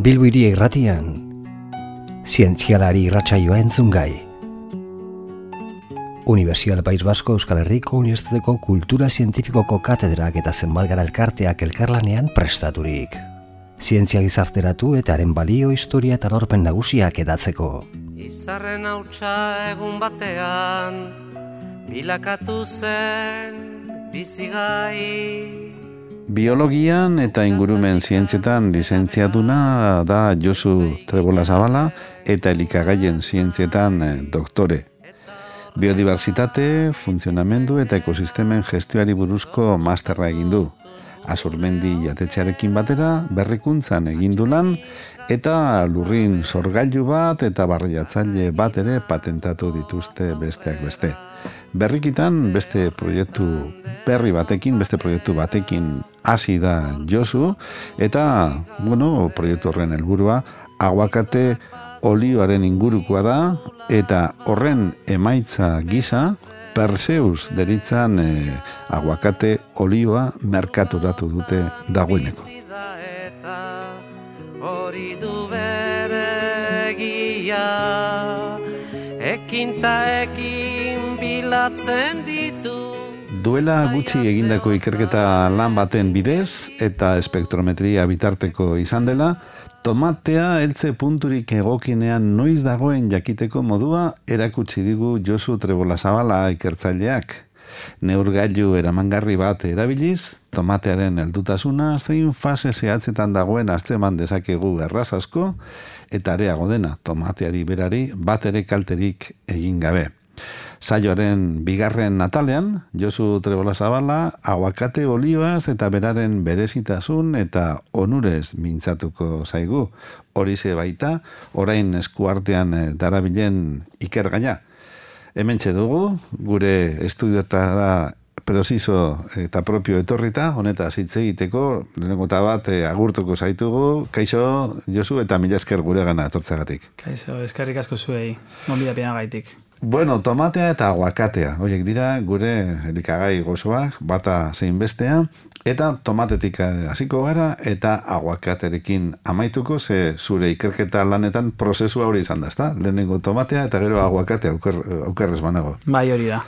Bilbo Hiria Irratian, zientzialari irratsaioa entzungai. Unibertsitate País Basko Euskal Herriko Unibertsitateko Kultura Zientifikoko katedrak eta zenbat gara elkarteak elkarlanean prestaturik. Zientzia gizarteratu eta haren balio, historia eta lorpen nagusiak edatzeko. Izarren hautsa egun batean, bilakatu zen bizigai. Biologian eta ingurumen zientzietan lizentziaduna da Josu Trebolazabala eta elikagaien zientzietan doktore. Biodibertsitate, funtzionamendu eta ekosistemen gestioari buruzko masterra egin du. Azurmendi jatetxearekin batera berrikuntzan egin du lan eta lurrin sorgailu bat eta barriatzaile bat ere patentatu dituzte besteak beste. Berrikitan beste proiektu batekin hasi da Josu eta, proiektu horren helburua aguakate olioaren ingurukoa da eta horren emaitza gisa Perseus deritzan aguakate olioa merkaturatu dute dagoeneko. Hori du bere egia, ekin ta ekin bilatzen ditu. Duela gutxi egindako ikerketa lan baten bidez eta espektrometria bitarteko izan dela, tomatea heltze punturik egokinean noiz dagoen jakiteko modua erakutsi digu Josu Trebolazabala ikertzaileak. Neurgailu eramangarri bat erabiliz, tomatearen heldutasuna zein fase zehatzetan dagoen atzeman dezakegu erraz asko, eta areago dena tomateari berari bat ere kalterik egin gabe. Saioaren bigarren atalean, Josu Trebolazabala aguakate olioaz eta beraren berezitasun eta onurez mintzatuko zaigu. Horixe baita, orain eskuartean darabilen ikergaia. Hementxe dugu, gure estudiotara preciso eta propio etorrita, honetaz hitz egiteko, lehenengo bat agurtuko zaitugu. Kaixo, Josu, eta mila esker guregana etortzagatik. Kaixo, eskerrik asko zuei, gonbidapean gaitik. Bueno, tomatea eta aguakatea, horiek dira gure elikagai gozoak, bata zein bestea, eta tomatetik hasiko gara eta aguakaterekin amaituko, ze zure ikerketa lanetan prozesua hori izan da, ezta? Lehenengo tomatea eta gero aguakatea aukerrez banago. Bai, hori da.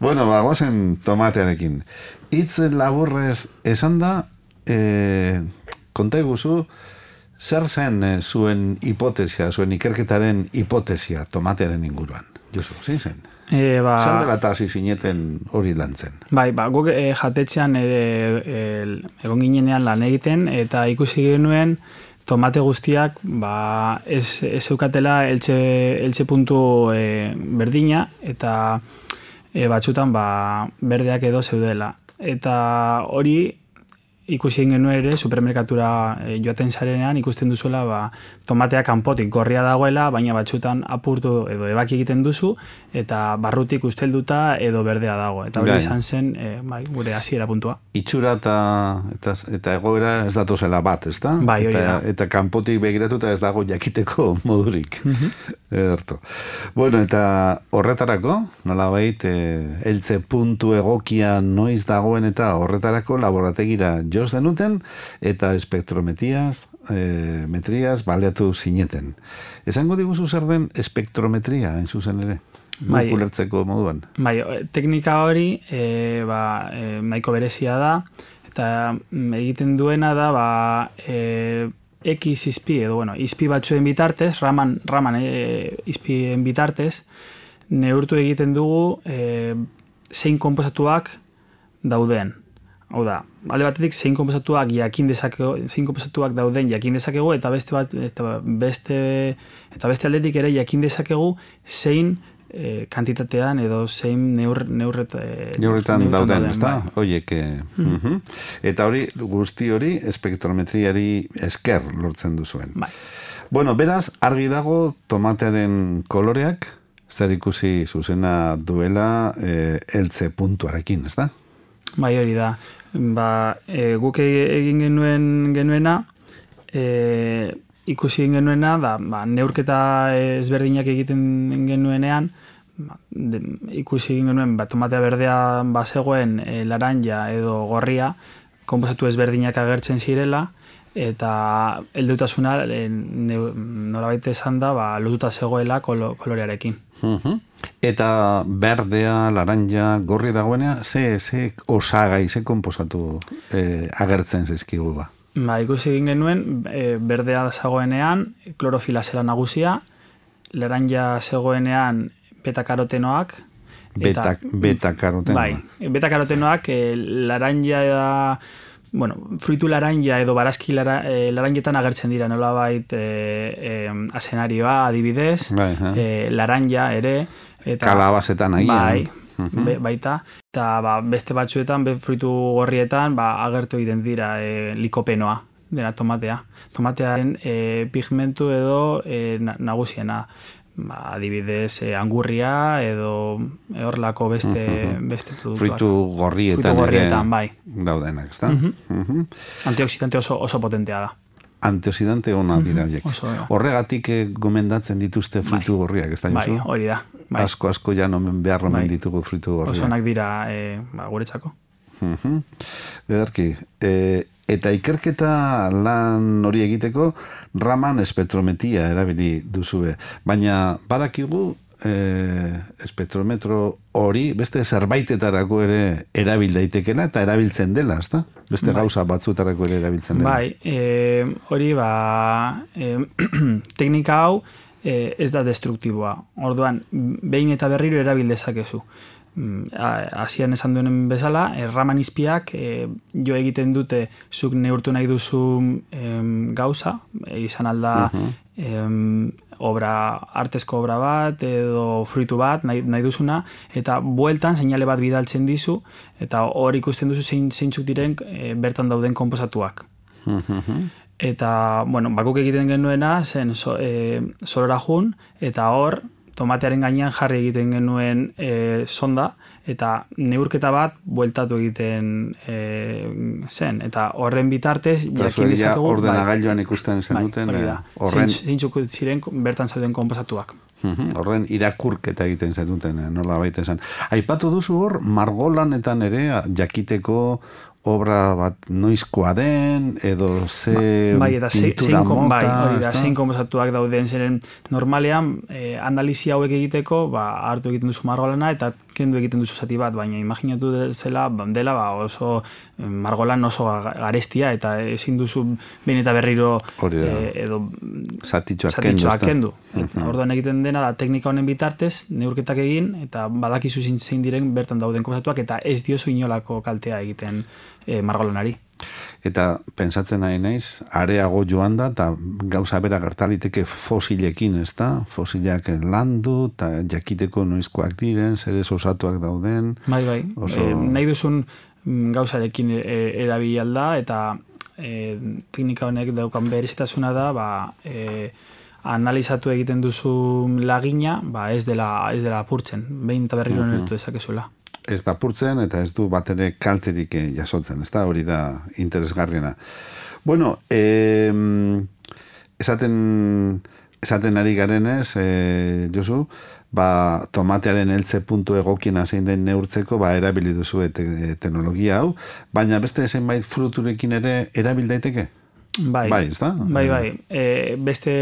Bueno, goazen tomatearekin. Hitz laburrez esan da, konta eguzu, zer zen zuen hipotesia, zuen ikerketaren hipotesia tomatearen inguruan? Josu, zein zen? Zer dela eta hasi zineten hori lan zen? Bai, guk jatetxean egon ginenean lan egiten eta ikusi genuen tomate guztiak ez eukatela eltze puntu berdina eta batzutan berdeak edo zeudela. Eta hori ikusi genuen ere, supermerkatura joaten zarenean ikusten duzuela tomatea kanpotik gorria dagoela, baina batzutan apurtu edo ebaki egiten duzu, eta barrutik ustelduta edo berdea dago. Eta hori izan zen gure hasiera puntua. Itxura eta egoera ez datozela bat, ezta? Bai, hori da. Eta kanpotik begiratuta ez dago jakiteko modurik. Ederto. Bueno, eta horretarako, nolabait, heltze puntu egokia noiz dagoen eta horretarako laborategira joz denuten eta espektrometriaz baleatu zineten. Esango diguzu zer den espektrometria, hain zuzen ere? Bai, ulertzeko moduan. Bai, teknika hori nahiko berezia da eta egiten duena da X izpi edo izpi batzuen bitartez, raman izpien bitartez, neurtu egiten dugu zein konposatuak dauden. Hau da, alde batetik zein konposatuak dauden jakin dezakegu eta beste aldetik ere jakin dezakegu zein kantitatean edo zein neurretan dauden, ezta? Hoiek. Eta hori, guzti hori, espektrometriari esker lortzen duzuen. Bai. Bueno, beraz, argi dago tomatearen koloreak, zer ikusi zuzena duela heltze puntuarekin, ezta? Bai, hori da. Guk egin genuena, ikusi genuena, neurketa ezberdinak egiten genuenean, ikusi genuen tomatea berdea bazegoen laranja edo gorria, konposatu ezberdinak agertzen zirela, eta heldutasuna nolabait esan da, lotuta zegoela kolorearekin. Eta berdea, laranja, gorri dagoenea, ze osagai, ze konposatu agertzen zaizkigu ba? Ikusi egin genuen, berdea zegoenean, klorofila zela nagusia, laranja zegoenean beta-karotenoak. Beta-karotenoak. Bai, beta-karotenoak laranja, fruitu laranja edo barazki laranjetan agertzen dira, nolabait azenarioa adibidez, laranja ere. Kalabazetan agian. Bai, baita. Eta beste batzuetan, fruitu gorrietan, agertu egiten dira likopenoa, dena tomatea. Tomatearen pigmentu edo nagusiena. Adibidez, angurria edo horrelako beste produktuak. Fruitu gorrietan bai. Daudenak, ezta? Antioksidante oso potentea da. Antioxidante ona dira horiek. Horregatik gomendatzen dituzte fruitu gorriak, ez da, Josu? Bai, hori da. Asko ja nomen behar omen ditugu fruitu gorriak. Oso onak dira guretzako. Ederki. Eta ikerketa lan hori egiteko Raman espektrometria erabili duzue. Baina badakigu espektrometro hori beste zerbaitetarako ere erabil daitekela eta erabiltzen dela, ezta? Beste gauza batzuetarako ere erabiltzen dela. Bai, hori teknika hau ez da destruktiboa. Orduan, behin eta berriro erabil dezakezu. Hasian esan duenen bezala, Raman izpiak jo egiten dute zuk neurtu nahi duzu gauza, izan alda artezko obra bat edo fruitu bat nahi duzuna, eta bueltan seinale bat bidaltzen dizu, eta hor ikusten duzu zeintzuk diren bertan dauden konposatuak. Eta, bakuk egiten genuena zen solora jun, eta hor tomatearen gainean jarri egiten genuen sonda, eta neurketa bat bueltatu egiten zen. Eta horren bitartez, jakin dezakegu... Ordenagailuan ikusten zen duten... Zeintzuk ziren bertan zauden konposatuak. Horren irakurketa egiten zen duten, nola baita zen. Aipatu duzu hor, margolanetan ere jakiteko obra bat noizkoa den, edo ze pintura mota... zein konposatuak dauden, zeren normalean analizi hauek egiteko, hartu egiten duzu margolana eta kendu egiten duzu zati bat, baina imaginatu dela oso margolan oso garestia eta ezin duzu behin eta berriro edo zatitxoak kendu. Orduan egiten dena da teknika honen bitartez, neurketak egin eta badakizu zein diren bertan dauden konposatuak eta ez diozu inolako kaltea egiten margolanari. Eta pentsatzen nahi naiz, areago joan da, eta gauza bera gertaliteke fosilekin, ez da? Fosilak landu, eta jakiteko noizkoak diren, zerez osatuak dauden. Bai. Nahi duzun gauzarekin erabilalda, eta teknika honek daukan berezitasuna da, analizatu egiten duzu lagina, ez dela apurtzen, behin eta berriro nertu dezakezuela. Ez da purtzen eta ez du bat ere kalterik jasotzen, ez da, hori da interesgarriena. Bueno, esaten ari garenez, Josu, tomatearen heltze puntu egokiena zein den neurtzeko, erabili duzu teknologia hau, baina beste zenbait fruturekin ere erabil daiteke? Bai, ez da? Bai. Beste...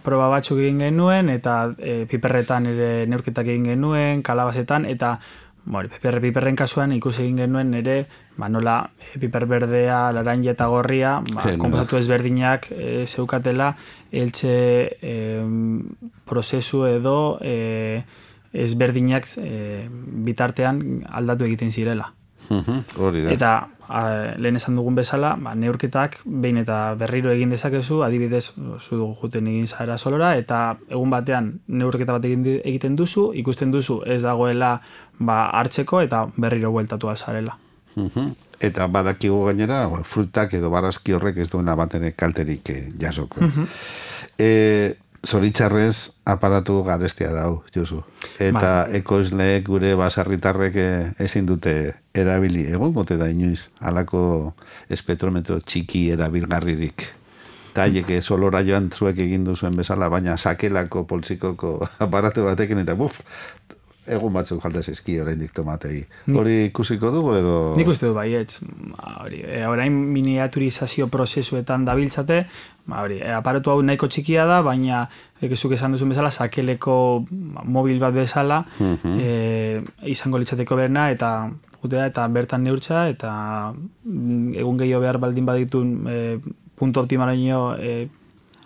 proba batzuk egin genuen, eta piperretan ere neurketak egin genuen, kalabazetan, eta piperren kasuan ikusi egin genuen ere, nola piper berdea, laranja eta gorria, konposatu ezberdinak zeukatela, eltze prozesu edo ezberdinak bitartean aldatu egiten zirela. Eta lehen esan dugun bezala, neurketak behin eta berriro egin dezakezu, adibidez zu juten egin zara solora, eta egun batean neurketa bat egiten duzu, ikusten duzu ez dagoela hartzeko eta berriro bueltatu azarela. Eta badakigu gainera, frutak edo barazki horrek ez duena bat ere kalterik jasoko. Zoritxarrez aparatu garestia dau, Josu. Eta ekoizleek gure basarritarrek ezin dute erabili. Egon gote da inoiz, halako espektrometro txiki erabilgarririk. Taieke solora joan zuek egin duzuen bezala, baina sakelako poltsikoko aparatu batekin eta egun batzuk falta zaizki oraindik tomatei. Hori ikusiko dugu edo... Nik uste du baietz. Orain miniaturizazio prozesuetan dabiltzate, aparatu hau nahiko txikia da, baina zuk esan duzun bezala, sakeleko mobil bat bezala, izango litzateko berna, eta gutea, eta bertan neurtza, eta egun gehiago behar baldin baditun puntu optimalaino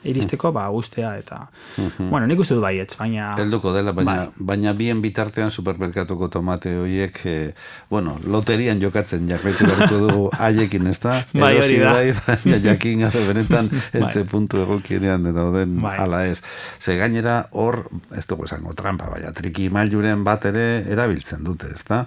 iristeko, guztea, eta... Bueno, nik uste du baietz, baina... Helduko dela, baina bien bitartean supermerkatuko tomate horiek, loterian jokatzen jarraitu beharko dugu haiekin, ez da? Bai, hori da. Baina jakin gabe benetan eltze puntu egokienean dauden ala ez. Ze gainera hor, ez dugu esango trampa, baina triki mailuren bat ere erabiltzen dute, ez da?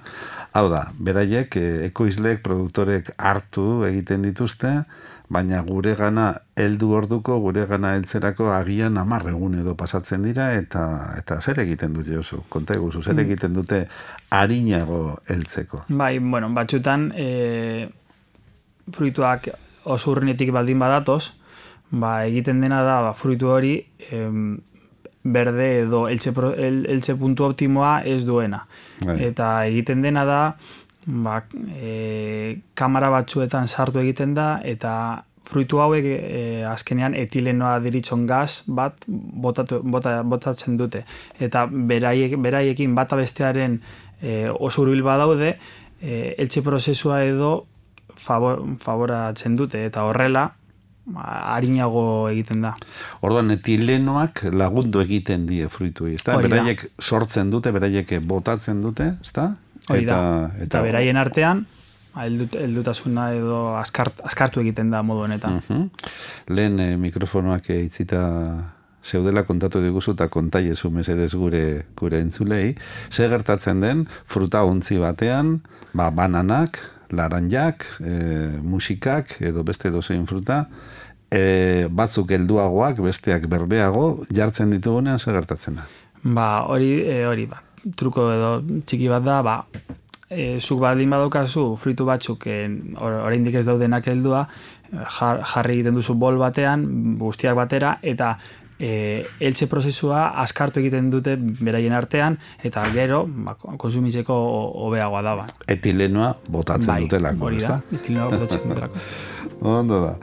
Hau da, beraiek, ekoizleek, produktorek hartu egiten dituzte, baina gure gana heldu orduko, gure gana heltzerako agian 10 egun edo pasatzen dira, eta zer egiten dute oso? Konta eguzu, zer egiten dute arinago heltzeko? Bai, batxutan fruituak oso urrinetik baldin badatoz, egiten dena da fruitu hori berde edo heltze puntu optimoa ez duena. Eta egiten dena da, kamara batzuetan sartu egiten da, eta fruitu hauek azkenean etilenoa deritzon gaz bat botatzen dute. Eta beraiekin bata bestearen oso hurbil badaude, heltze prozesua edo favoratzen dute, eta horrela arinago egiten da. Orduan, etilenoak lagundu egiten die fruituei, ezta? Beraiek sortzen dute, beraiek botatzen dute, ezta? Hori da, eta beraien artean heldutasuna edo askartu egiten da modu honetan. Lehen mikrofonoak itzita zeudela kontatu diguzu eta kontaiezu mesedez gure entzulei, ze gertatzen den fruta ontzi batean, bananak, laranjak, musikak edo beste dozein fruta, batzuk helduagoak, besteak berdeago, jartzen ditugunean zer gertatzen da? Hori, truko edo txiki bat da, zuk baldin badaukazu fruitu batzuk oraindik ez daudenak heldua, jarri egiten duzu bol batean, guztiak batera, eta heltze prozesua askartu egiten dute beraien artean, eta gero konsumitzeko hobeagoa da. Etilenoa botatzen dutelako, hori da, etilenoa botatzen dutelako. Ondo da.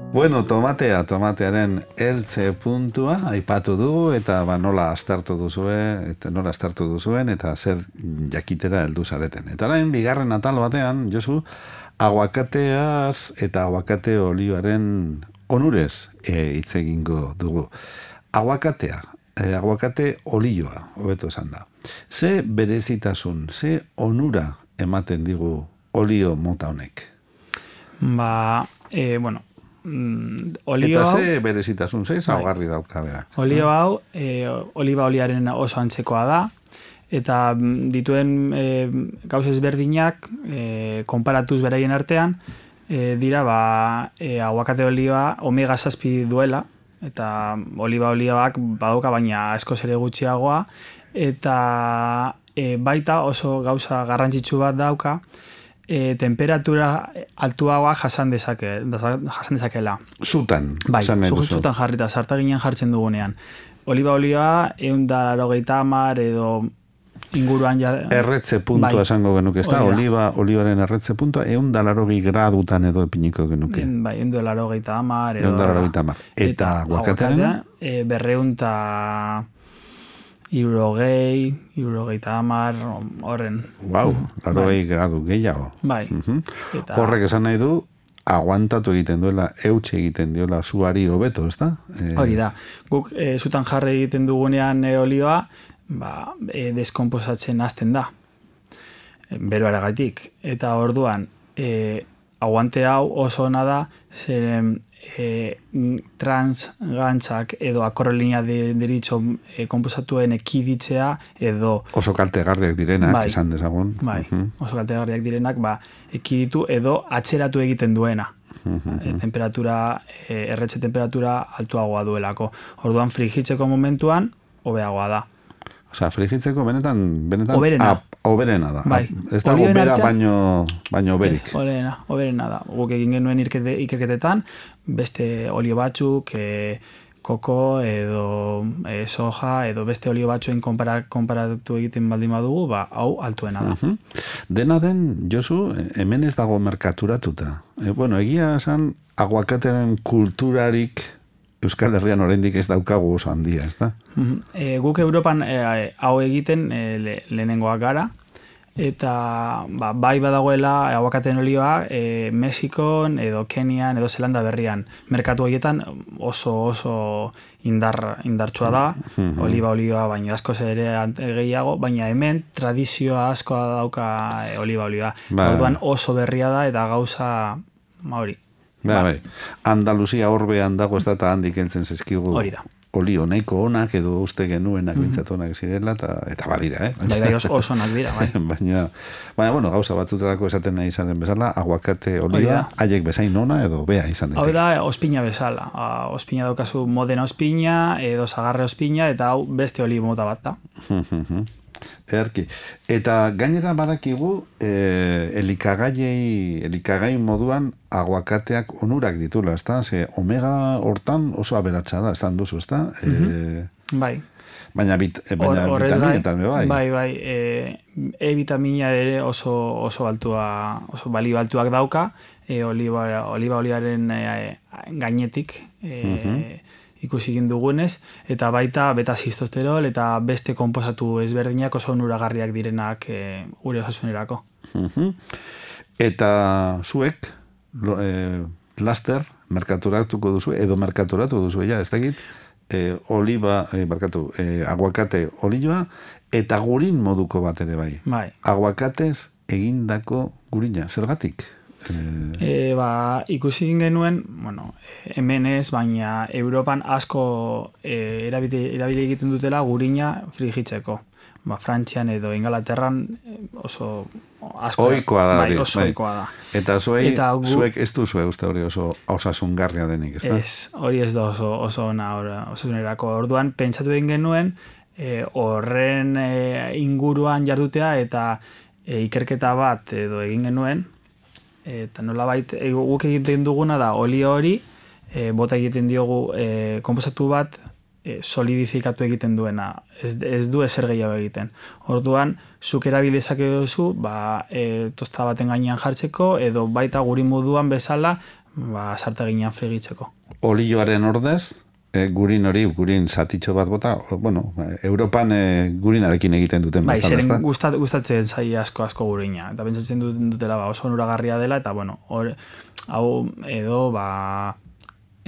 Bueno, tomatearen heltze puntua aipatu dugu, eta nola aztertu duzuen, eta zer jakitera heldu zareten. Eta orain, bigarren atal batean, Josu, aguakateaz eta aguakate olioaren onurez hitz egingo dugu. Aguakate olioa, hobeto esan da. Ze berezitasun, ze onura ematen digu olio mota honek? Olio eta ze berezitasun, ze zaugarri daukabeak. Olio hau, oliba oliaren oso antzekoa da, eta dituen gauz ezberdinak konparatuz beraien artean, dira aguakate olioa omega 7 duela, eta oliba olioak badauka baina askoz ere gutxiagoa, eta baita oso gauza garrantzitsu bat dauka, temperatura altuagoa jasan dezakela. Zutan. Bai, zutan jarrita, sartaginean jartzen dugunean. Oliba olioa 180 edo inguruan erretze puntua esango genuke, ez da? Olibaren erretze puntua 180 gradutan edo epiniko genuke. Bai, 180 edo 180. Eta aguakatean? 260 horren. Wow, 80 gradu gehiago. Bai. Horrek esan nahi du, aguantatu egiten duela, eutxe egiten diola zuari hobeto, ez da? Hori da. Guk zutan jarri egiten dugunean olioa, deskomposatzen hasten da. Beroaragatik. Eta orduan, aguante hau oso ona da, zeren transgantzak edo akorrelina deritxo komposatuen ekiditzea edo... Oso kaltegarriak direnak, esan dezagun. Bai, oso kaltegarriak direnak, ekiditu edo atzeratu egiten duena. Erretze temperatura altuagoa duelako. Orduan frigitzeko momentuan, hobeagoa da. Osea, frigitzeko benetan oberena da. Bai. Ez da obera baino oberik. Oberena da. Guk egin genuen ikerketetan, beste olio batzuk, koko edo soja edo beste olio batzuen konparatu egiten baldin badugu, hau altuena da. Dena den, Josu, hemen ez dago merkaturatuta. Bueno, egia esan, aguakatearen kulturarik Euskal Herrian oraindik ez daukagu oso handia, ez da? Guk Europan hau egiten lehenengoak gara, eta bai badagoela aguakateen olioa Mexikon edo Kenian edo Zelanda berrian. Merkatu horietan oso indartsua da, olioa baino askoz ere gehiago, baina hemen tradizioa askoa dauka olioa. Orduan oso berria da eta gauza hori. Bai. Andaluzia horbean dago ez da eta handik heltzen zezkigu. Hori da. Olio nahiko onak edo uste genuenak bintzat onak zirela eta badira, Bai, oso onak dira, bai. Baina, bueno, gauza batzutarako esaten nahi izanen bezala, aguakate olioa, haiek bezain ona edo bea izan daiteke. Hau da, ospina bezala. Ospina daukazu modena ospina edo zagarre ospina eta hau beste olio mota bat da. Erki. Eta gainera badakigu elikagai moduan aguakateak onurak ditula, ez da? Ze omega hortan oso aberatsa da, ez da duzu, ez da? Bai. Baina vitaminetan, bai. Bai. E-vitamina ere oso altua, oso balio altuak dauka, oliba-oliaren gainetik, ikusi egin dugunez, eta baita beta-zistosterol eta beste konposatu ezberdinak oso onuragarriak direnak gure osasunerako. Eta zuek, laster, merkaturatuko duzu, edo merkaturatu duzu, ez dakit, aguakate olioa, eta gurin moduko bat ere bai. Aguakatez egindako gurina, zergatik? Ikusi egin genuen, hemen ez, baina Europan asko erabili egiten dutela gurina frigitzeko. Frantzian edo Ingalaterran oso asko ohikoa da. Bai, oso ohikoa da. Eta zuek ez duzue uste hori oso osasungarria denik, ez da? Ez, hori ez da oso onerako. Orduan, pentsatu egin genuen, horren inguruan jardutea eta ikerketa bat edo egin genuen, eta nolabait guk egiten duguna da olio hori bota egiten diogu konposatu bat solidifikatu egiten duena, ez du ezer gehiago egiten. Orduan, zuk erabili dezakezu tosta baten gainean jartzeko edo baita gurin moduan bezala sarta ginean frigitzeko. Olioaren ordez, gurin zatitxo bat bota, Europan gurinarekin egiten duten bezala, ez da? Bai, zeren gustatzen zai asko gurina, eta pentsatzen dutela oso onuragarria dela, eta hau edo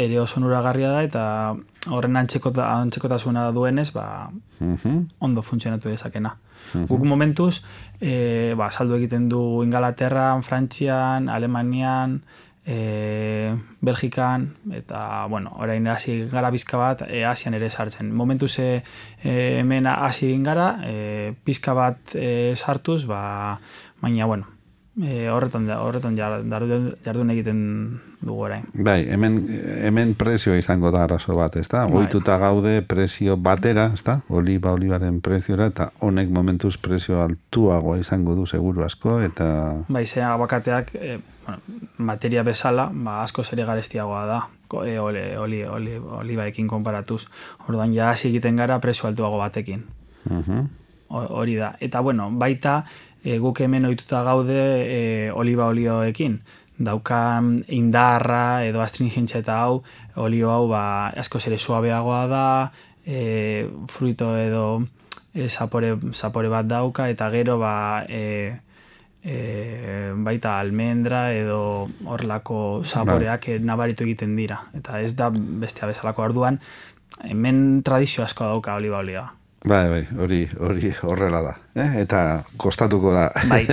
ere oso onuragarria da, eta horren antzekotasuna duenez, ondo funtzionatu dezakena. Guk momentuz, saldu egiten du Ingalaterran, Frantzian, Alemanian, Belgikan, eta, orain hasi gara bizka bat, Asian ere sartzen. Momentuz hemen hasi egin gara, pizka bat sartuz, baina, horretan jardun egiten dugu orain. Bai, hemen prezioa izango da arazo bat, ez da? Ohituta gaude prezio batera, ez da? Olibaren preziora, eta honek momentuz prezio altuagoa izango du seguru asko, eta... Bai, ze aguakateak materia bezala, asko ere garestiagoa da, olibaekin konparatuz. Orduan, ja hasi egiten gara prezio altuago batekin. Hori da. Eta, baita guk hemen ohituta gaude oliba-olioekin. Daukan indarra edo astringentzia eta olio hau asko ere suabeagoa da, fruito edo zapore bat dauka, eta gero baita almendra edo horlako zaporeak nabaritu egiten dira. Eta ez da bestea bezalako. Orduan, hemen tradizio asko dauka oliba-olioa. Bai, hori horrela da. Eta kostatuko da. Bai,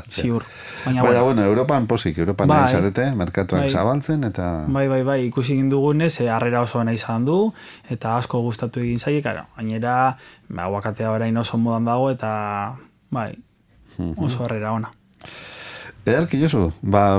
ziur. Baina, Europan posik, Europan nahi zarete, merkatuak zabaltzen, eta... Bai, ikusi egin dugunez, harrera oso nahi izan du, eta asko gustatu egin zaiek, gainera, aguakatea orain oso modan dago, eta, oso harrera ona. Ederki Josu,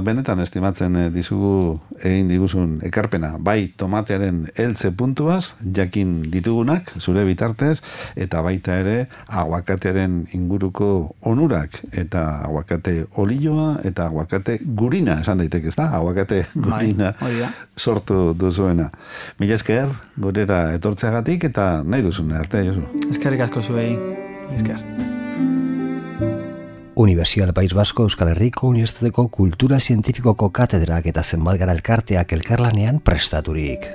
benetan estimatzen dizugu egin diguzun ekarpena, bai tomatearen heltze puntuaz, jakin ditugunak, zure bitartez, eta baita ere aguakatearen inguruko onurak, eta aguakate olioa, eta aguakate gurina, esan daiteke, ez da? Aguakate gurina sortu duzuena. Mila esker, gurera etortzeagatik, eta nahi duzun arte, Josu. Eskerrik asko zuei, esker. Universidad País Vasco Euskal Herriko Unibertsitateko Kultura Zientifikoko katedrak eta zenbat gara elkarteak elkarlanean prestaturik.